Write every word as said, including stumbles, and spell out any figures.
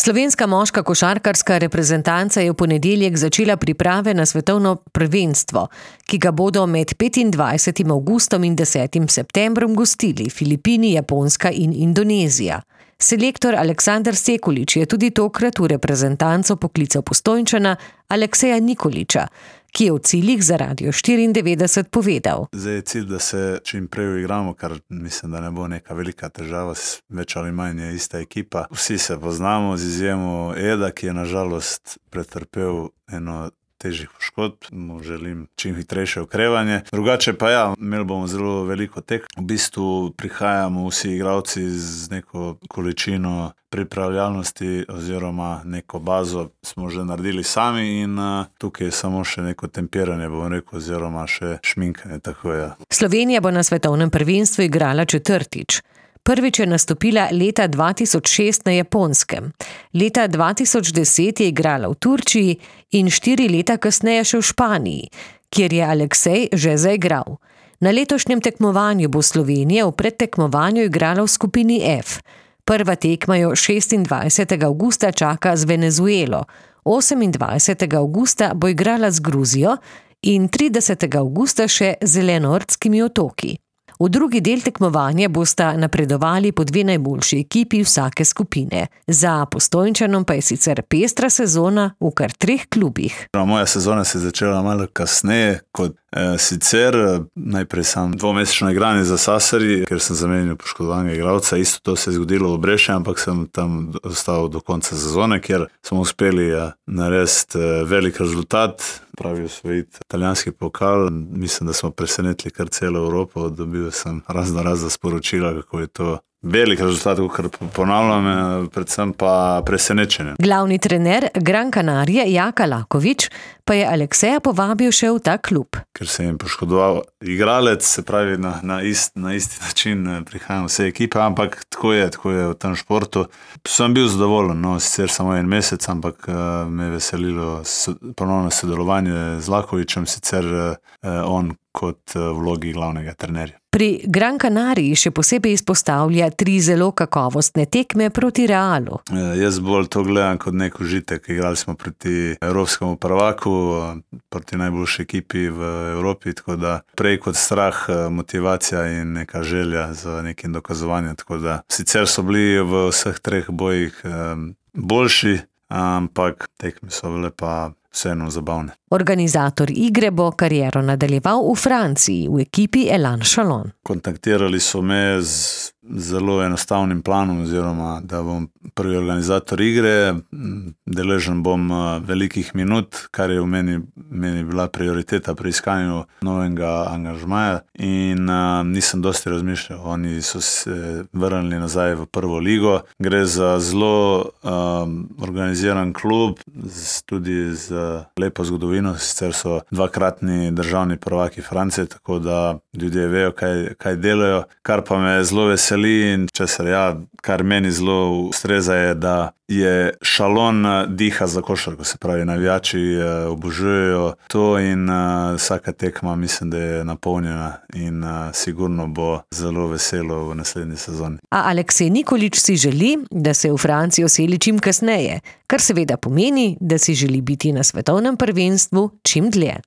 Slovenska moška košarkarska reprezentanca je v ponedeljek začela priprave na svetovno prvenstvo, ki ga bodo med petindvajsetim avgustom in desetim septembrom gostili Filipini, Japonska in Indonezija. Selektor Aleksandar Sekulič je tudi tokrat v reprezentanco poklical Postojnčana Alekseja Nikolića, ki je v ciljih za Radio štiriindevetdeset povedal. Zdaj je cilj, da se čim prej uigramo, kar mislim, da ne bo neka velika težava, več ali manj je ista ekipa. Vsi se poznamo, z izjemo Eda, ki je na žalost pretrpel eno težjih poškodb, mu želim čim hitrejše okrevanje. Drugače pa ja, imeli bomo zelo veliko tek. V bistvu prihajamo vsi igralci z neko količino pripravljalnosti oziroma neko bazo smo že naredili sami in uh, tukaj je samo še neko tempiranje, bom rekel, oziroma še šminkanje, tako je. Slovenija bo na svetovnem prvenstvu igrala četrtič. Prvič je nastopila leta dva tisoč šest na Japonskem. Leta dva tisoč deset je igrala v Turčiji in štiri leta kasneje še v Španiji, kjer je Aleksej že zaigral. Na letošnjem tekmovanju bo Slovenija v predtekmovanju igrala v skupini F. Prva tekma jo šestindvajsetega avgusta čaka z Venezuelo, osemindvajsetega avgusta bo igrala z Gruzijo in tridesetega avgusta še z Zelenortskimi otoki. V drugi del tekmovanja bosta napredovali po dve najboljši ekipi vsake skupine. Za Postojnčanom pa je sicer pestra sezona v kar treh klubih. Moja sezona se je začela malo kasneje kot eh, sicer. Najprej sem dvomesečno igranje za Sasari, ker sem zamenil poškodovanega igralca. Isto to se je zgodilo v Breši, ampak sem tam ostal do konca sezone, ker smo uspeli ja, narediti eh, velik rezultat, pravi osvojiti italijanski pokal. Mislim, da smo presenetili kar celo Evropo, dobil sem razno razna sporočila, kako je to velik rezultat, kar ponavljam, predvsem pa presenečenje. Glavni trener Gran Canarie Jaka Lakovič pa je Alekseja povabil še v ta klub. Ker se jim poškodoval igralec, se pravi na, na, ist, na isti način prihajam vse ekipe, ampak tako je, tako je v tem športu. Sem bil zadovoljen, no, sicer samo en mesec, ampak uh, me je veselilo so, ponovno sodelovanje z Lakovičem, sicer uh, on kot uh, vlogi glavnega trenerja. Pri Gran Canariji še posebej izpostavlja tri zelo kakovostne tekme proti Realu. E, jaz bolj to gledam kot nek užitek. Igrali smo proti evropskemu prvaku, proti najboljši ekipi v Evropi, tako da prej kot strah, motivacija in neka želja za nekim dokazovanjem. Tako da sicer so bili v vseh treh bojih um, boljši, ampak tekme so bile pa vseeno zabavne. Organizator igre bo kariero nadaljeval v Franciji, v ekipi Elan Chalon. Kontaktirali so me z zelo enostavnim planom, oziroma da bom prvi organizator igre, deležen bom velikih minut, kar je v meni, meni bila prioriteta pri iskanju novega angažmaja in uh, nisem dosti razmišljal. Oni so se vrnili nazaj v prvo ligo. Gre za zelo um, organiziran klub, z, tudi z lepo zgodovino, sicer so dvakratni državni prvaki Francije, tako da ljudje vejo, kaj, kaj delajo, kar pa me zelo veseli in česar ja, kar meni zelo ustreza je, da je Chalon diha za košarko, se pravi, navijači obožujejo to in uh, vsaka tekma mislim, da je napolnjena in uh, sigurno bo zelo veselo v naslednji sezoni. A Aleksej Nikolić si želi, da se v Francijo seli čim kasneje, kar seveda pomeni, da si želi biti na svetovnem prvenstvu čim dlje.